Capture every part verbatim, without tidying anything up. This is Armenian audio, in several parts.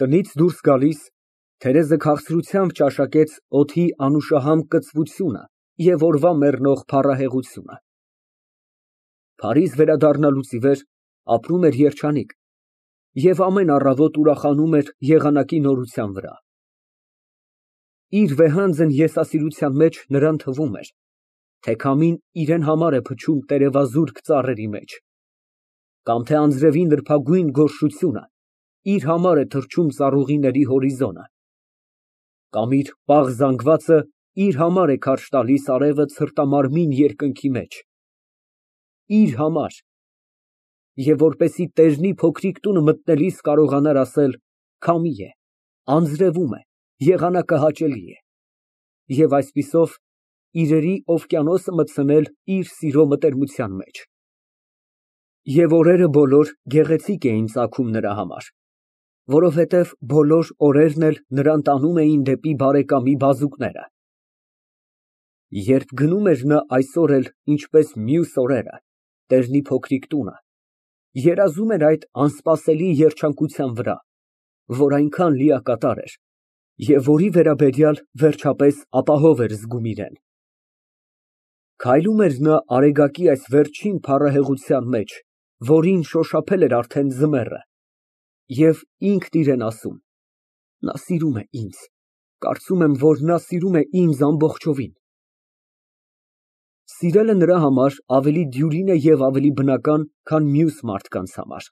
Տնից դուրս գալիս, Թերեզը քաղցրությամբ ճաշակեց օդի անուշահամ կծվությունը և օրվա մեռնող փառահեղությունը։ Փարիզ վերադառնալուց ի վեր ապրում էր երջանիկ և ամեն առավոտ ուրախանում էր եղանակի նորության վրա։ Իր վեհանձն եսասիրության մեջ նրան թվում էր, թե քամին իրան համար է փչում տերևազուրկ ծառերի մեջ, կամ թե անձրևի նրբագույն գորշությունը իր համար է թռչում ծառուղիների հորիզոնը, կամ իր պաղ զանգվածը իր համար է քարշ տալիս արևը ցրտամարմին երկնքի մեջ, իր համար, և որպեսզի տեժնի փոքրիկ տունը մտնելիս կարողանար ասել. «Քամի է, անձրևում է, եղանակը հաճելի է» և այսպիսով իրերի օվկիանոսը մտցնել իր սիրո մտերմության մեջ։ Եվ օրերը բոլոր գեղեցիկ էին ծագում նրա համար, որովհետև բոլոր օրերն էլ նրան տանում էին դեպի բարեկամի բազուկները։ Երբ գնում էր նա այսօր էլ, ինչպես մյուս օրերը, տեժնի փոքրիկ տունը, երազում էր այդ անսպասելի երջանկության վրա, որ այնքան լիակատար էր և որի վերաբերյալ վերջապես ապահով էր զգում իրեն։ Քայլում էր նա արեգակի այս վերջին փառահեղության մեջ, որին շոշափել էր արդեն ձմեռը, և ինքն իրան ասում. «Նա սիրում է ինձ, կարծում եմ, որ նա սիրում է ինձ ամբողջովին»։ Սիրելը նրա համար ավելի դյուրին է և ավելի բնական, քան մյուս մարդկանց համար։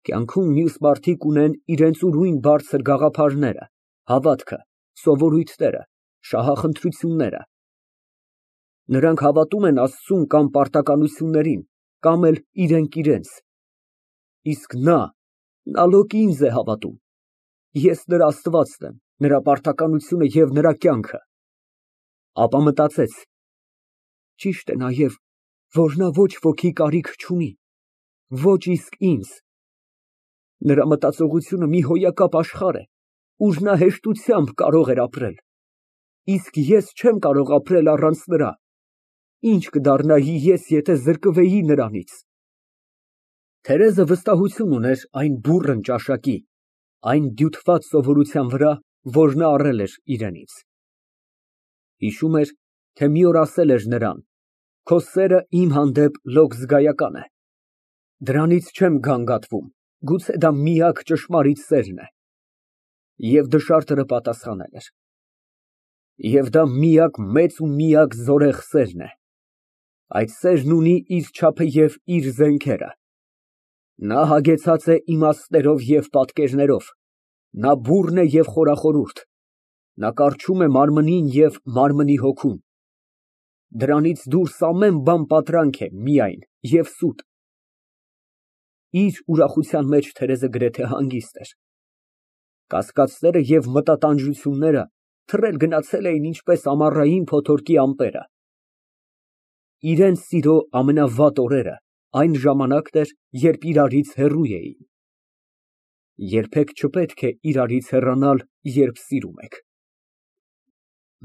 Կյանքում մյուս մարդիկ ունեն իրենց ուրույն բարձր գաղափարները, հավատքը, սովորույթները, շահախնդրությունները։ Նրանք հավատում են Աստծուն կամ պարտականություններին, կամ էլ իրենք իրենց, իսկ նա, նա լոկ ինձ է հավատում, ես նրա Աստվածն եմ, նրա պարտականությունը և նրա կյանքը։ Ապա մտածեց. ճիշտ է նաև, որ նա ոչ ոքի կարիք չունի, ոչ իսկ ինձ։ Նրա մտածողությունը մի հոյակապ աշխարհ է, ուր նա հեշտությամբ կարող էր ապրել, իսկ ես չեմ կարող ապրել առանց նրա, ի՞նչ կդառնայի ես, եթե զրկվեի նրանից։ Թերեզը վստահություն ուներ այն բուռն ճաշակի, այն դյութված սովորության վրա, որ նա առել էր իրենից։ Հիշում էր, թե մի օր ասել էր նրան. «Քո սերը իմ հանդեպ լոկ զգայական է։ Դրանից չեմ գանգատվում, գուցե դա միակ ճշմարիտ սերն է»։ Եվ դժարտերը պատասխանել էր. «Եվ դա միակ մեծ ու միակ զորեղ սերն է։ Այդ սերն ունի իր չափը և իր զենքերը։ Նա հագեցած է իմաստներով և պատկերներով, նա բուռն է և խորախորհուրդ, նա կառչում է մարմնին և մարմնի հոգուն։ Դրանից դուրս ամեն բան պատրանք է միայն և սուտ»։ Իր ուրախության մեջ Թերեզը գրեթե հանգիստ էր։ Կասկածները և մտատանջությունները թռել գնացել էին ինչպես ամառային փոթորկի ամպերը։ Իրենց սիրո ամենավատ օրերը այն ժամանակն էր, երբ իրարից հեռու էին։ Երբեք չպետք է իրարից հեռանալ, երբ սիրում եք։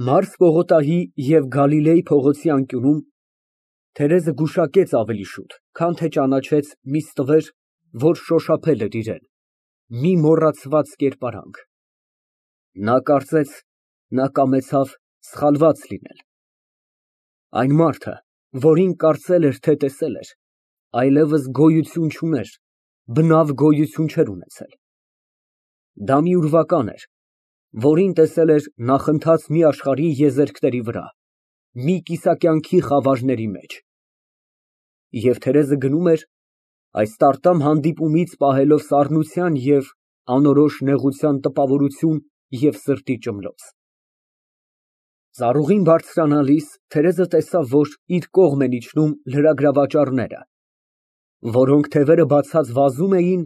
Մարս պողոտայի և Գալիլեյ փողոցի անկյունում Թերեզը գուշակեց ավելի շուտ, քան թե ճանաչեց մի ստվեր, որ շոշափել էր իրան, մի մոռացված կերպարանք։ Նա կարծեց, նա կամեցավ սխալված լինել։ Այն մարդը, որին կարծել էր, թե տեսել էր, այլևս գոյություն չուներ, բնավ գոյություն չէր ունեցել։ Դա մի ուրվական էր, որին տեսել էր նախընթաց մի աշխարհի եզերքների վրա, մի կիսակյանքի խավարների մեջ։ Եվ Թերեզը գնում էր, այս տարտամ հանդիպումից պահելով սառնության և անորոշ նեղության տպավորություն և սրտի ճմլոց։ Ծառուղին բարձրանալիս Թերեզը տեսավ, որ իր կողմ են իջնում լրագրավաճառները, որոնք թևերը բացած վազում էին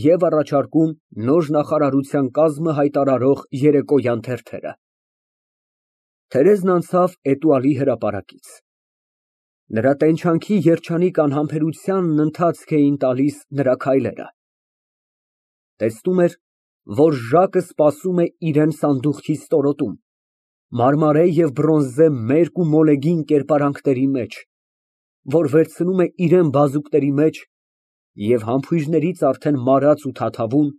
և առաջարկում նոր նախարարության կազմը հայտարարող երեկոյան թերթերը։ Թերեզն անցավ էտուալի հրապարակից։ Նրա տենչանքի երջանիկ անհամբերությանն ընթացք էին տալիս նրա քայլերը։ Տեսնում էր, որ Ժակը սպասում է իրան սանդուղքի ստորոտում, մարմարե և բրոնզե մերկ ու մոլեգին կերպարանքների մեջ, որ վերցնում է իրան բազուկների մեջ և համբույրներից արդեն մարած ու թաթավուն,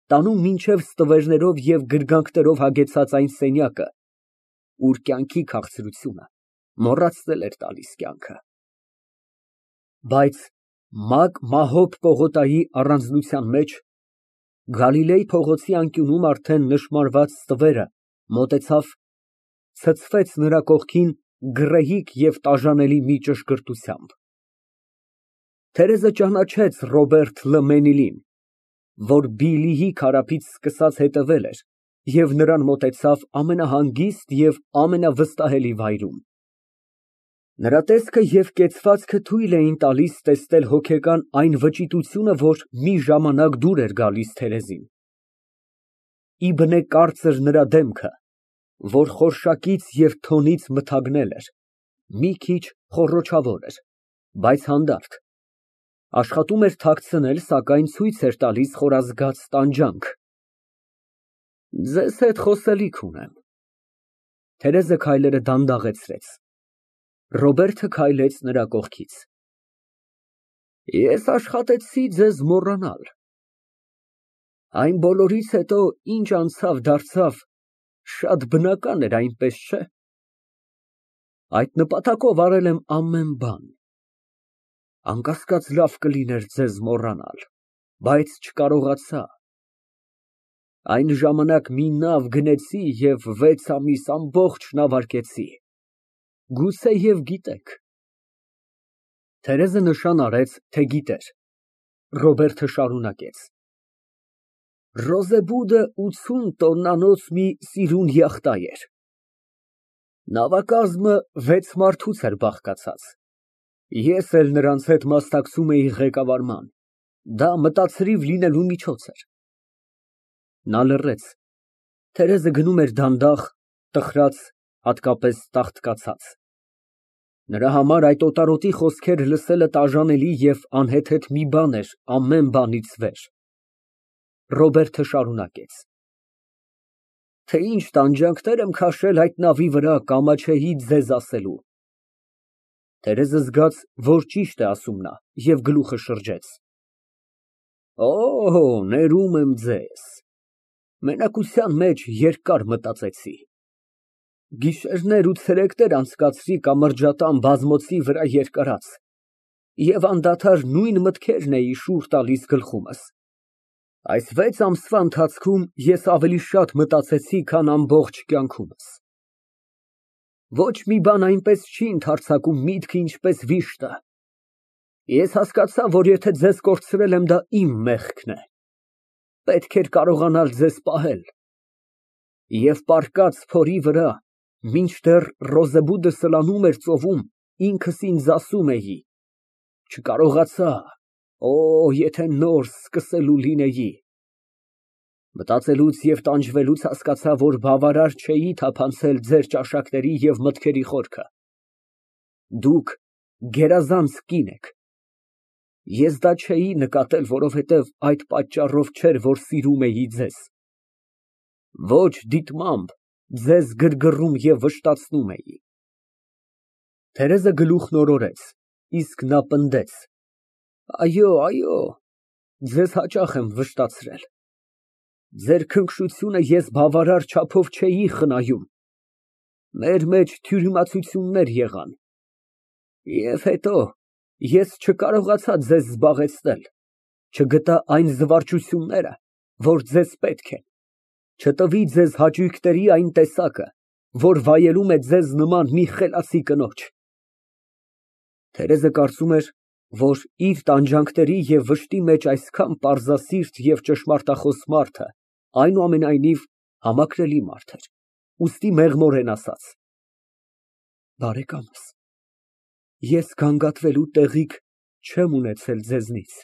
տանում մինչև ստվերներով և գրգանքներով հագեցած այն սենյակը, ուր կյանքի քաղցրությունը մոռացնել էր տալիս կյանքը։ Բայց մագ Մահոբ պողոտայի առանձնության մեջ, Գալիլեյ փողոցի անկյունում արդեն նշմարված ստվերը մոտեցավ, ցցվեց նրա կողքին գռեհիկ և տաժանելի մի ճշգրտությամբ։ Թերեզը ճանաչեց Ռոբերտ Լը Մենիլին, որ Բիլլիի քարափից սկսած հետևել էր և նրան մոտեցավ ամենահանգիստ և ամենավստահելի վայրում։ Նրա տեսքը և կեցվածքը թույլ էին տալիս տեսնել հոգեկան այն վճիտությունը, որ մի ժամանակ դուր էր գալիս Թերեզին։ Իբնե կարծր նրա դեմքը, որ խորշակից և թոնից մթագնել էր, մի քիչ խոռոչավոր էր, բայց հանդարտ, աշխատում էր թաքցնել, սակայն ցույց էր տալիս խորազգաց տանջանք։ Ձեզ հետ խոսելիք ունեմ։ Թերեզը քայլերը դանդաղեցրեց։ Ռոբերտը քայլեց նրա կողքից։ Ես աշխատեցի ձեզ մոռանալ։ Այն բոլորից հետո, ինչ անցավ դարձավ, շատ բնական էր, այնպես չէ՞։ Այդ նպատակով արել եմ ամեն բան։ Անկասկած, լավ կլիներ ձեզ մոռանալ, բայց չկարողացա։ Այն ժամանակ մի նավ գնեցի և վեց ամիս ամբողջ նավարկեցի։ Գուցեև գիտեք։ Թերեզը նշան արեց, թե գիտեր։ Ռոբերտը շարունակեց. Ռոզեբուդը ութսուն տոննանոց մի սիրուն յախտա էր։ Նավակազմը վեց մարդուց էր բաղկացած։ Ես էլ նրանց հետ մասնակցում էի ղեկավարման, դա մտացրիվ լինելու միջոց էր։ Նա լռեց։ Թերեզը գնում էր դանդաղ, տխրած, հատկապես տաղտկացած։ Նրա համար այդ օտարոտի խոսքերը լսելը տաժանելի և անհեթեթ մի բան էր ամեն բանից վեր։ Ռոբերտը շարունակեց. Թե ինչ տանջանքներ եմ քաշել այդ նավի վրա, կամաչեի ձեզ ասելու։ Թերեզը զգաց, որ ճիշտ է ասում նա, և գլուխը շրջեց։ Օ, ներում եմ ձեզ։ Մենակության մեջ երկար մտածեցի։ Գիշերներ ու ցերեկներ անցկացրի կամրջատան բազմոցի վրա երկարած և անդադար նույն մտքերն էի շուռ տալիս գլխումս։ Այս վեց ամսվա ընթացքում ես ավելի շատ մտածեցի, քան ամբողջ կյանքումս։ Ոչ մի բան այնպես չի ընդարձակում միտքը, ինչպես վիշտը։ Ես հասկացա, որ եթե ձեզ կորցրել եմ, դա իմ մեղքն է։ Պետք էր կարողանալ ձեզ պահել։ Եվ պառկած փորի վրա, մինչդեռ Ռոզեբուդը սլանում էր ծովում, ինքս ինձ ասում էի. չկարողացա, օ, եթե նոր սկսելու լինեի։ Մտածելուց և տանջվելուց հասկացա, որ բավարար չէի թափանցել ձեր ճաշակների և մտքերի խորքը։ Դուք գերազանց կին եք։ Ես դա չէի նկատել, որովհետև այդ պատճառով չէր, որ սիրում էի ձեզ։ Ոչ դիտմամբ ձեզ գրգռում և վշտացնում էի։ Թերեզը գլուխն օրորեց, իսկ նա պնդեց. Այո, այո, ձեզ հաճախ եմ վշտացրել։ Ձեր քնքշությունը ես բավարար չափով չէի խնայում։ Մեր մեջ թյուրիմացություններ եղան։ Եվ հետո ես չկարողացա ձեզ զբաղեցնել, չգտա այն զվարճությունները, որ ձեզ պետք են, չտվի ձեզ հաճույքների այն տեսակը, որ վայելում է ձեզ նման մի խելացի կնոջ։ Թերեզը կարծում էր, որ իր տանջանքների և վշտի մեջ այսքան պարզասիրտ և ճշմարտախոս մարդը այնուամենայնիվ համակրելի մարդ էր, ուստի մեղմորեն ասաց. Բարեկամս, ես գանգատվելու տեղիք չեմ ունեցել ձեզնից։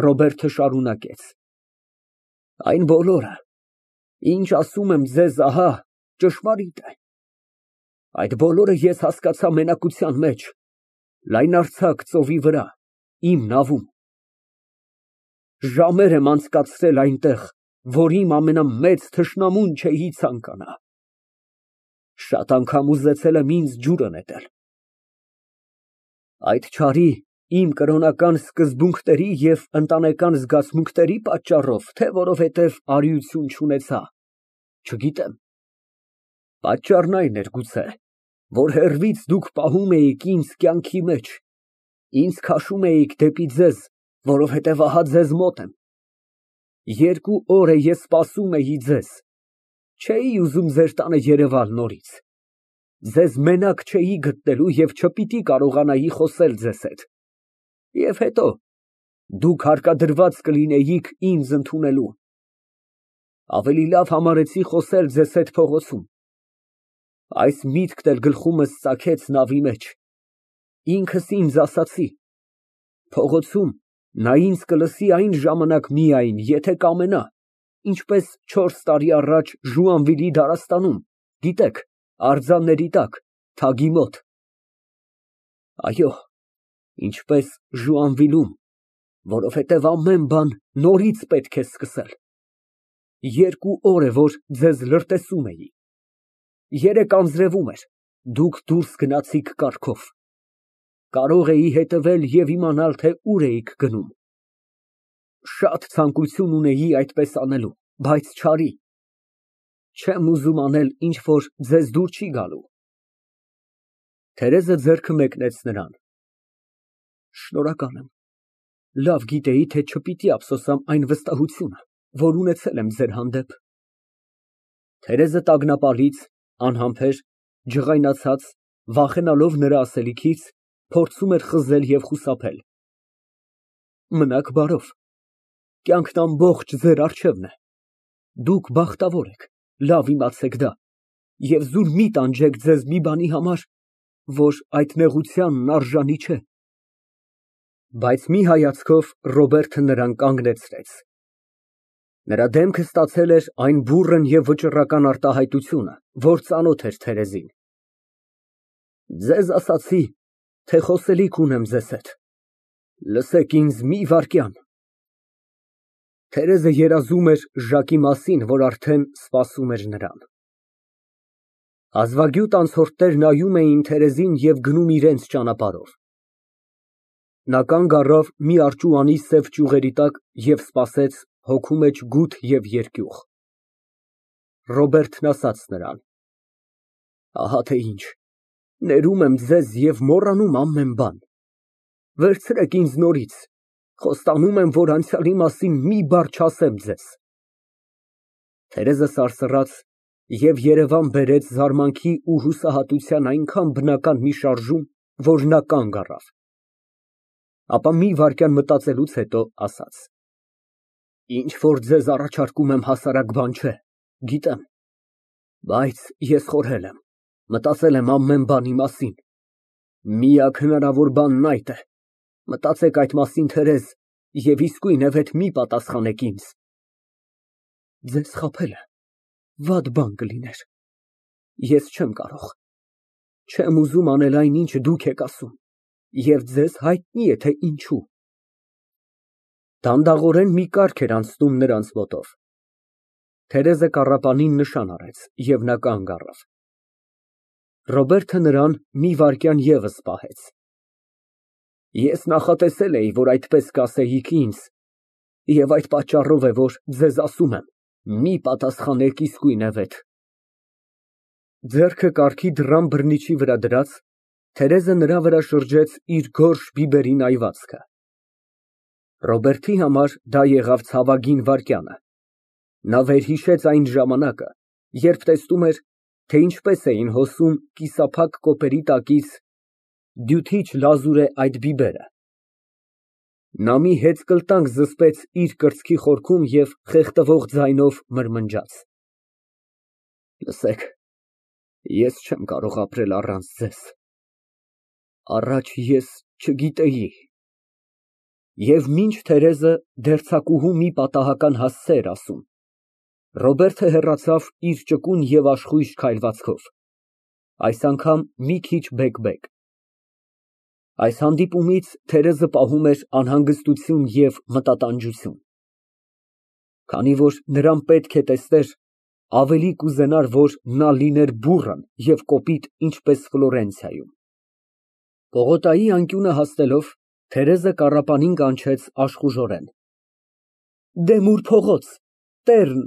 Ռոբերտը շարունակեց. Այն բոլորը, ինչ ասում եմ ձեզ, ահա, ճշմարիտ է։ Այդ բոլորը ես հասկացա մենակության մեջ, լայնարձակ ծովի վրա, իմ նավում։ Ժամեր եմ անցկացրել այնտեղ, որ իմ ամենամեծ թշնամուն չէի ցանկանա։ Շատ անգամ ուզեցել եմ ինձ ջուրը նետել։ Այդ չարի Իմ կրոնական սկզբունքների և ընտանեկան զգացմունքների պատճառո՞վ, թե որովհետև արիություն չունեցա, չգիտեմ։ Պատճառն այն էր, գուցե, որ հեռվից դուք պահում էիք ինձ կյանքի մեջ, ինձ քաշում էիք դեպի ձեզ, որովհետև ահա ձեզ մոտ եմ։ Երկու օր է ես սպասում էի ձեզ, չէի ուզում ձեր տանը երևալ նորից, ձեզ մենակ չէի գտնելու և չպիտի կարողանայի խոսել ձեզ հետ։ Եվ հետո, դուք հարկադրված կլինեիք ինձ ընդունելու։ Ավելի լավ համարեցի խոսել ձեզ հետ փողոցում։ Այս միտքն էլ գլխումս ծագեց նավի մեջ, ինքս ինձ ասացի. փողոցում նա ինձ կլսի այն ժամանակ միայն, եթե կամենա, ինչպես չորս տարի առաջ Ժուանվիլի դարաստանում, գիտեք, արձանների տակ, թագի մոտ։ Այո, ինչպես Ժուանվիլում, որովհետև ամեն բան նորից պետք է սկսել։ Երկու օր է, որ ձեզ լրտեսում էի։ Երեկ անձրևում էր, դուք դուրս գնացիք կառքով։ Կարող էի հետևել և իմանալ, թե ուր էիք գնում։ Շատ ցանկություն ունեի այդպես անելու, բայց չարի։ Չեմ ուզում անել ինչ որ ձեզ դուր չի գալու։ Թերեզը ձեռքը մեկնեց նրան։ Շնորհակալ եմ, լավ գիտեի, թե չպիտի ափսոսամ այն վստահությունը, որ ունեցել եմ ձեր հանդեպ։ Թերեզը տագնապալից, անհամբեր, ջղայնացած, վախենալով նրա ասելիքից, փորձում էր խզել և խուսափել։ Մնաք բարով, կյանքն ամբողջ ձեր առջևն է, դուք բախտավոր եք, լավ իմացեք դա, և զուր մի տանջեք ձեզ մի բանի համար, որ այդ նեղությանն արժանի չէ։ Բայց մի հայացքով Ռոբերտը նրան կանգնեցրեց։ Նրա դեմքը ստացել էր այն բուռն և վճռական արտահայտությունը, որ ծանոթ էր Թերեզին։ Ձեզ ասացի, թե խոսելիք ունեմ ձեզ հետ, լսեք ինձ մի վայրկյան։ Թերեզը երազում էր Ժակի մասին, որ արդեն սպասում էր նրան։ Հազվագյուտ անցորդներ նայում էին Թերեզին և գնում իրենց ճանապարհով։ Նա կանգ առավ մի արճուանի սև ճյուղերի տակ և սպասեց, հոգու մեջ գութ և երկյուղ։ Ռոբերտն ասաց նրան. Ահա թե ինչ, ներում եմ ձեզ և մոռանում ամեն բան։ Վերցրեք ինձ նորից, խոստանում եմ, որ անցյալի մասին մի բառ չասեմ ձեզ։ Թերեզը սարսռաց և երևան բերեց զարմանքի ու հուսահատության այնքան բնական մի շարժում, որ նա կանգ առավ։ Ապա մի վայրկյան մտածելուց հետո ասաց. Ինչ որ ձեզ առաջարկում եմ հասարակ բան չէ, գիտեմ, բայց ես խորհել եմ, մտածել եմ ամեն բանի մասին, միակ հնարավոր բանն այդ է, մտածեք այդ մասին, Թերեզ, և իսկույնև հետ մի պատասխանեք ինձ։ Ձեզ խաբելը վատ բան կլիներ, ես չեմ կարող, չեմ ուզում անել այն, ինչ դուք եք ասում, և ձեզ հայտնի է, թե ինչու։ Դանդաղորեն մի կարգ էր անցնում նրանց մոտով։ Թերեզը կառապանին նշան արեց, և նա կանգ առավ։ Ռոբերտը նրան մի վայրկյան ևս պահեց։ Ես նախատեսել էի, որ այդպես կասեիք ինձ, և այդ պատճառով է, որ ձեզ ասում եմ, մի պատասխանեք իսկույնև հետ։ Ձեռքը կառքի դռան բռնիչի վրա դրած, Թերեզը նրա վրա շրջեց իր գորշ բիբերի նայվածքը։ Ռոբերտի համար դա եղավ ցավագին վայրկյանը։ Նա վերհիշեց այն ժամանակը, երբ տեսնում էր, թե ինչպես էին հոսում կիսափակ կոպերի տակից դյութիչ լազուր է այդ բիբերը։ Նա մի հեծկլտանք զսպեց իր կրծքի խորքում և խեղդվող ձայնով մրմնջաց. Լսեք, ես չեմ կարող ապրել առանց ձեզ, առաջ ես չգիտեի։ Եվ մինչ Թերեզը դերձակուհու մի պատահական հասցե էր ասում, Ռոբերտը հեռացավ իր ճկուն և աշխույժ քայլվածքով, այս անգամ մի քիչ բեկ֊բեկ։ Այս հանդիպումից Թերեզը պահում էր անհանգստություն և մտատանջություն։ Քանի որ նրան պետք է տեսներ, ավելի կուզենար, որ նա լիներ բուռն և կոպիտ, ինչպես Ֆլորենցիայում։ Պողոտայի անկյունը հասնելով, Թերեզը կառապանին կանչեց աշխուժորեն)։ Դեմուր փողոց, տեռն։